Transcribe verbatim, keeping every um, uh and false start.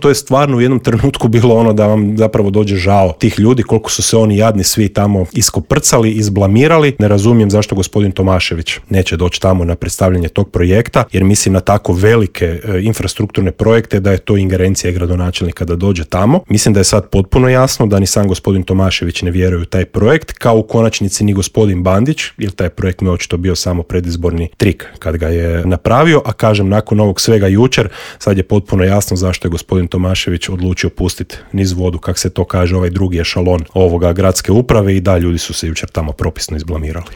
To je stvarno u jednom trenutku bilo ono da vam zapravo dođe žao tih ljudi, koliko su se oni jadni svi tamo iskoprcali, izblamirali. Ne razumijem zašto gospodin Tomašević neće doći tamo na predstavljanje tog projekta, jer mislim na tako velike e, infrastrukturne projekte da je to ingerencija gradonačelnika da dođe tamo. Mislim da je sad potpuno jasno da ni sam gospodin Tomašević ne vjeruje u taj projekt, kao u konačnici ni gospodin Bandić, jer taj projekt mi je očito bio samo predizborni trik kad ga je napravio, a kažem nakon ovog svega jučer, sad je potpuno jasno zašto je gospodin Tomašević odlučio pustiti niz vodu, kak se to kaže, ovaj drugi ešalon ovoga gradske uprave i da, ljudi su se jučer tamo propisno izblamirali.